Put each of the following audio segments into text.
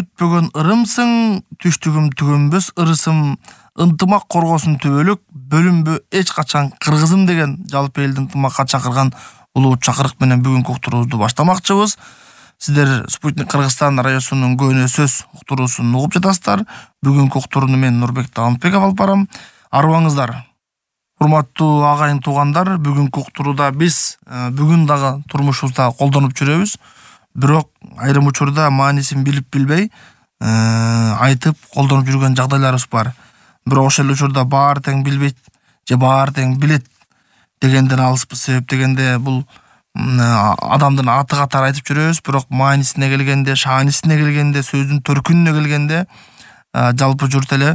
бүтпөгөн ырымсың, түштүгүм түгөнбөс ырысым, ынтымак коргосун түбөлүк, бөлүнбө эч качан кыргызым деген жалпы элди ынтымакка чакырган улуу чакырык менен бүгүнкү уктуруубузду баштамакчыбыз. Сиздер Спутник Кыргызстан радиосунун көөнө сөз уктуруусун угуп жатасыздар. Бүгүнкү уктурууну мен Нурбек Таалымбеков алып барам. Арыбаңыздар. Урматтуу агайын туугандар, бүгүнкү уктурууда биз бүгүн дагы турмушубузда колдонуп жүрөбүз. Бирок айрым учурда маанисин билип билбей айтып колдонуп жүргөн жагдайларыбыз бар. Бирок ошол учурда баары тең билбейт же баары тең билет дегенден алыспыз. Себеп дегенде бул адамдын аты катары айтып жүрөбүз, бирок маанисине келгенде, шаанисине келгенде, сөздүн төркүнүнө келгенде жалпы журт эле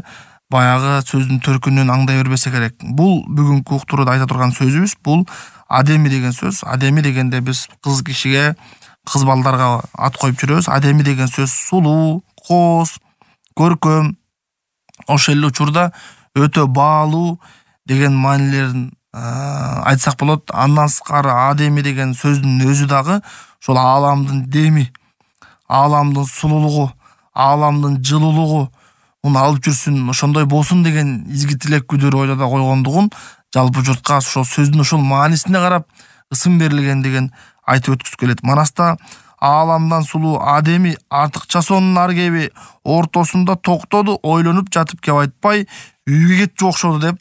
баягы сөздүн төркүнүн аңдай бербесе керек. Бул бүгүнкү уктурууда айта турган сөзүбүз бул адеми деген сөз. Адеми дегенде биз кыз кишиге, кыз балдарга ат коюп жүрөбүз. Адеми деген сөз сулуу, кооз, көркөм, ошол эле учурда өтө баалуу деген маанилерин айтсак болот. Андан сырткары адеми деген сөздүн өзү дагы ошол ааламдын деми, ааламдын сулуулугу, ааламдын жылуулугу алып жүрсүн, ошондой болсун деген изги тилек күдөрү ойлода койгондугун жалпы журтка ошол сөздүн ошол маанисине карап ысым берилген деген айтып өткүзүп келет. Манаста ааламдан сулуу адеми артыкча сонун ар кеби ортосунда токтоду, ойлонуп жатып кеп айтпай үйгө кетчү окшоду деп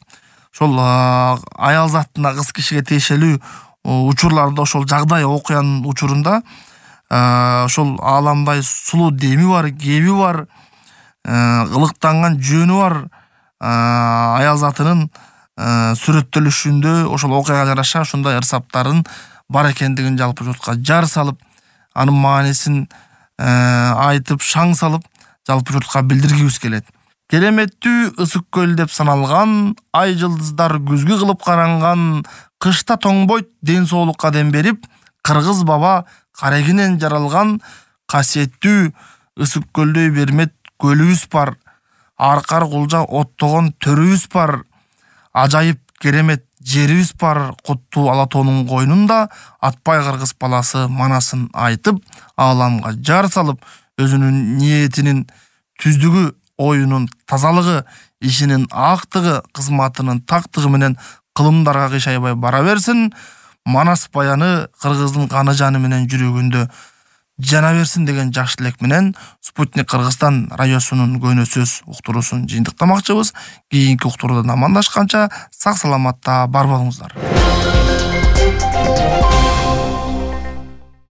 ошол аял затына, кыз кишиге тиешелүү учурларда ошол жагдай окуянын учурунда ошол ааламдай сулуу деми бар, кеби бар, ылыктанган жөнү бар аял затынын сүрөттөлүшүндө ошол окуяга жараша ушундай ырсаптарын бар экендигин жалпы журтка жар салып, анын маанисин айтып, шаң салып жалпы журтка билдиргибиз келет. Кереметтүү ысык көл деп саналган, ай жылдыздар күзгү кылып каранган, кышта тоңбойт ден соолукка дем берип, кыргыз баба карегинен жаралган касиеттүү ысык көлдөй бермет көлүбүз бар, аркар кулжа оттогон төрүбүз бар, ажайып керемет жерибиз бар, куттуу ала тоонун койнунда атпай кыргыз баласы манасын айтып, ааламга жар салып, өзүнүн ниетинин түздүгү, оюнун тазалыгы, ишинин актыгы, кызматынын тактыгы менен кылымдарга кыйшайбай бара берсин. Манас баяны кыргыздын каны жаны менен жүрөгүндө жана берсин деген жакшы тилек менен Спутник Кыргызстан радиосунун көөнө сөз уктуруусун жыйынтыктамакчыбыз. Кийинки уктуруудан амандашканча сак саламатта бар болуңуздар.